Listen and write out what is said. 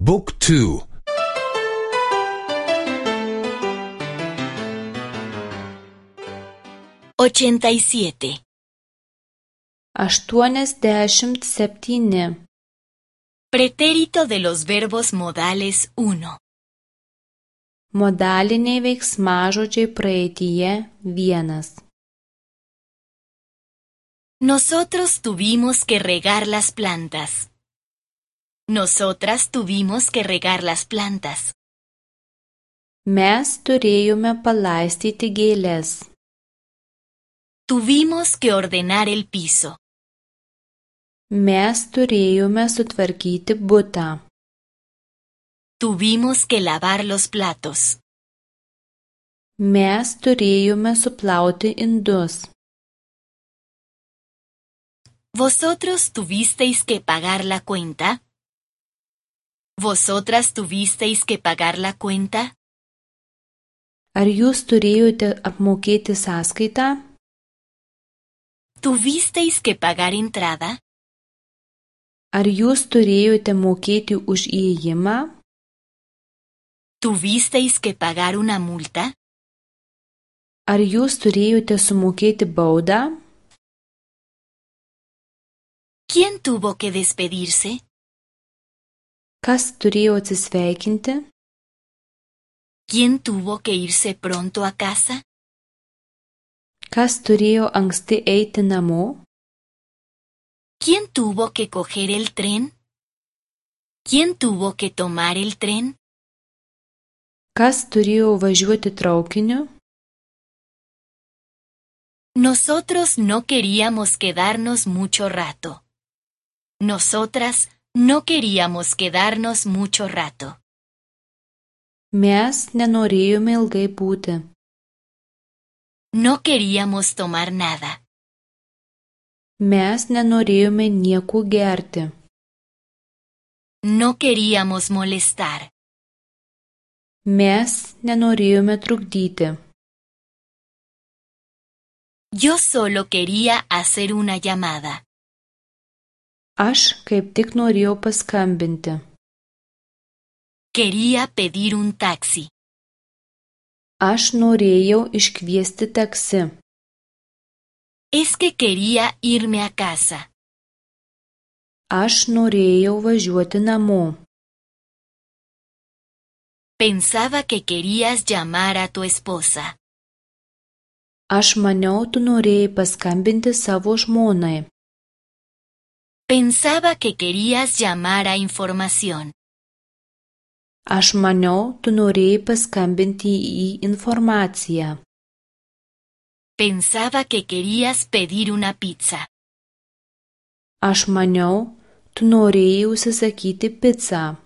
Book 2. 87. 87. Pretérito de los verbos modales 1. Modaliniai veiksmažodžiai praeityje 1. Nosotros tuvimos que regar las plantas. Nosotras tuvimos que regar las plantas. Mes turėjome palaistyti gėles. Tuvimos que ordenar el piso. Mes turėjome sutvarkyti butą. Tuvimos que lavar los platos. Mes turėjome suplauti indus. ¿Vosotros tuvisteis que pagar la cuenta? ¿Vosotras tuvisteis que pagar la cuenta? Ar jūs turėjote apmokėti sąskaitą? ¿Tuvisteis que pagar entrada? Ar jūs turėjote mokėti už įėjimą? ¿Tuvisteis que pagar una multa? Ar jūs turėjote sumokėti baudą? ¿Quién tuvo que despedirse? Kas turėjo atsisveikinti? ¿Quién tuvo que irse pronto a casa? Kas turėjo anksti eiti namo? ¿Quién tuvo que coger el tren? ¿Quién tuvo que tomar el tren? Kas turėjo važiuoti traukiniu? Nosotros no queríamos quedarnos mucho rato. Nosotras no queríamos quedarnos mucho rato. Mes nenorėjome ilgai būti. No queríamos tomar nada. Mes nenorėjome nieko gerti. No queríamos molestar. Mes nenorėjome trukdyti. Yo solo quería hacer una llamada. Aš kaip tik norėjau paskambinti. Quería pedir un taxi. Aš norėjau iškviesti taksi. Es que quería irme a casa. Aš norėjau važiuoti namo. Pensaba que querías llamar a tu esposa. Aš maniau, tu norėjai paskambinti savo žmonai. Pensaba que querías llamar a información. Aš maniau, tu norėjai paskambinti į informaciją. Pensaba que querías pedir una pizza. Aš maniau, tu norėjai užsisakyti picą.